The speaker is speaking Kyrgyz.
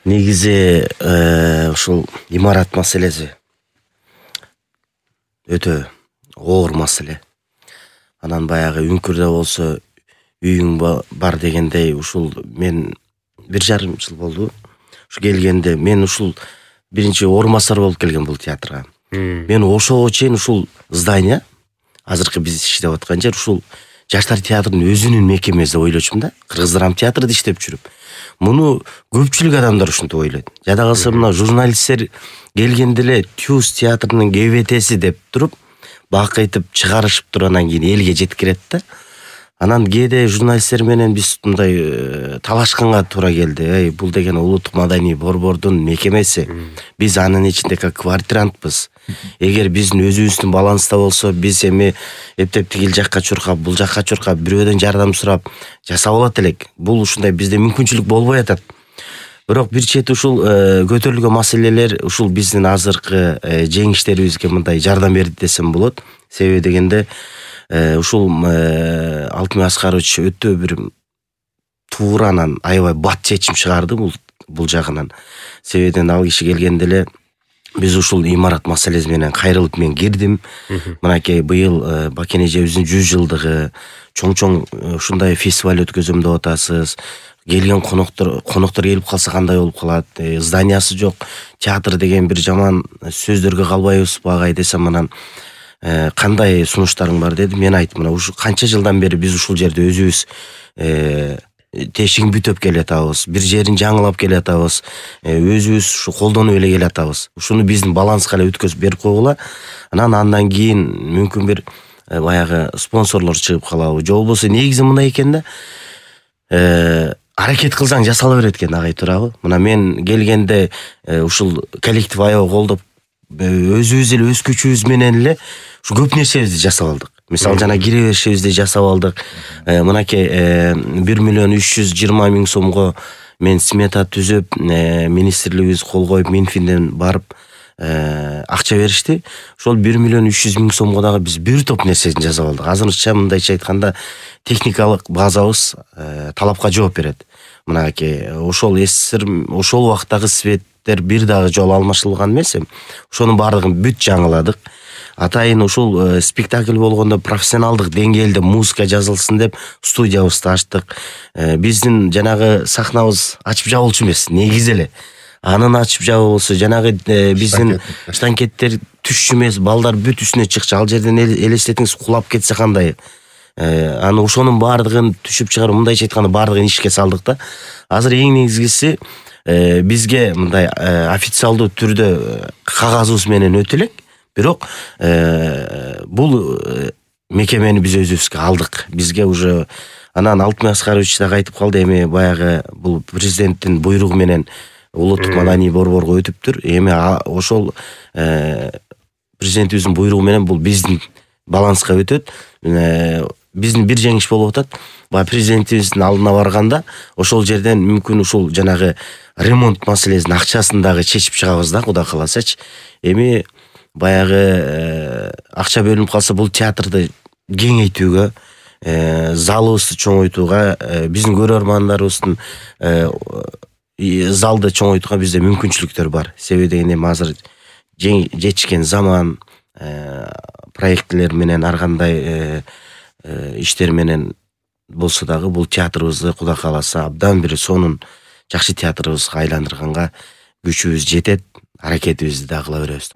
Негизи ушул имарат маселеси өтө оор маселе. Анан баягы Үңкүрдө болсо үйүң бар дегендей, ушул мен 1,5 жыл болду. Ушу келгенде мен ушул биринчи орун басар болуп келгем бул театрга. Мен ошого чейин ушул здание, азыркы биз иштеп аткан жер, ушул Жаштар театрынын өзүнүн мекемеси деп ойлочумун да. Кыргыз драма театрда иштеп жүрүп. Муну көпчүлүк адамдар ушинтип ойлойт. Жада калса мына журналисттер келгенде эле Тюз театрынын КВТси деп туруп, бакайтып чыгарышып туруп анан кийин элге жеткирет да. Анан кээде журналисттер менен биз мындай талашканга туура келди. Бул деген улуттук маданий борбордун мекемеси. Биз анын ичинде как квартирантпыз. Эгер биздин өзүбүздүн баланста болсо, биз эми эптеп тигил жакка чуркап, бул жакка чуркап, бирөөдөн жардам сурап жасап алат элек. Бул ушундай бизде мүмкүнчүлүк болбой атат. Бирок бир чети ушул көтөрүлгөн маселелер ушул биздин азыркы жеңиштерибизге мындай жардам берди десем болот. Себеби дегенде ушул Алтынбек Аскарович өтө бир тууранан аябай бат чечим чыгарды бул жагынан. Себебинен ал киши келгенде эле биз ушул имарат маселеси менен кайрылып мен кирдим. Мынакей быйыл Бакен эжебиздин 100 жылдыгы, чоң ушундай фестиваль өткөзөм деп атасыз. Келген коноктор келип калса кандай болуп калат? Зданиясы жок. Театр деген бир жаман сөздөргө калбайбызбы агай десем, анан кандай сунуштарың бар деди. Мен айттым, мына ушу канча жылдан бери биз ушул жерде өзүбүз тешигин бүтөп келатабыз, бир жерин жаңылап келатабыз, өзүбүз ушу колдонуп эле келатабыз. Ушуну биздин баланска эле өткөзүп берип койгула. Андан кийин мүмкүн бир баягы спонсорлор чыгып калабы. Же болбосо негизи мындай экен да. Аракет кылсаң жасала берет экен, агай туурабы? Мына мен келгенде ушул коллектив аябай колдоп, өзүбүз эле өз күчүбүз менен эле ушу көп нерсебизди жасап алдык. Мисалы жана кире беришибизди жасап алдык. Мынакей 1,320,000 сомго мен смета түзүп, министрлигибиз кол коюп, Минфинден барып акча беришти. Ошол 1,300,000 сомго дагы биз бир топ нерсесин жасап алдык. Азырынча мындайча айтканда техникалык базабыз талапка жооп берет. Мынакей ошол ошол убактагы светтер бир дагы жолу алмашылган эмес. Ошонун баардыгын бүт жаңыладык. Атайын ушул спектакль болгондо профессионалдык деңгээлде музыка жазылсын деп студиябызды ачтык. Биздин жанагы сахнабыз ачып жабылчу эмес, негизи эле. Анын ачып жабылысы жанагы биздин штанкеттер түшчү эмес, балдар бүт үстүнө чыкчу. Ал жерден элестетиңиз кулап кетсе кандай? Аны ошонун баардыгын түшүп чыгарып, мындайча айтканда баардыгын ишке салдык да. Азыр эң негизгиси бизге мындай официалдуу түрдө кагазыбыз менен өтө элек. Бирок бул мекемени биз өзүбүзгө алдык. Бизге уже анан Алтынбек Аскарович да айтып калды, эми баягы бул президенттин буйругу менен улуттук маданий борборго өтүптүр. Эми ошол президентибиздин буйругу менен бул биздин баланска өтөт. Биздин бир жеңиш болуп атат. Баягы президентибиздин алдына барганда ошол жерден мүмкүн ушул жанагы ремонт маселесинин акчасын дагы чечип чыгабыз да, Кудай кааласачы. Эми баягы акча бөлүнүп калса, бул театрды кеңейтүүгө, залыбызды чоңойтууга, биздин көрөрмандарыбыздын залды чоңойтууга бизде мүмкүнчүлүктөр бар. Себеби дегенде азыр жетишкен заман, проектлер менен ар кандай иштер менен болсо дагы бул театрыбызды Кудай кааласа абдан бир сонун жакшы театрыбызга айландырганга күчүбүз жетет. Аракетибизди да кыла беребиз.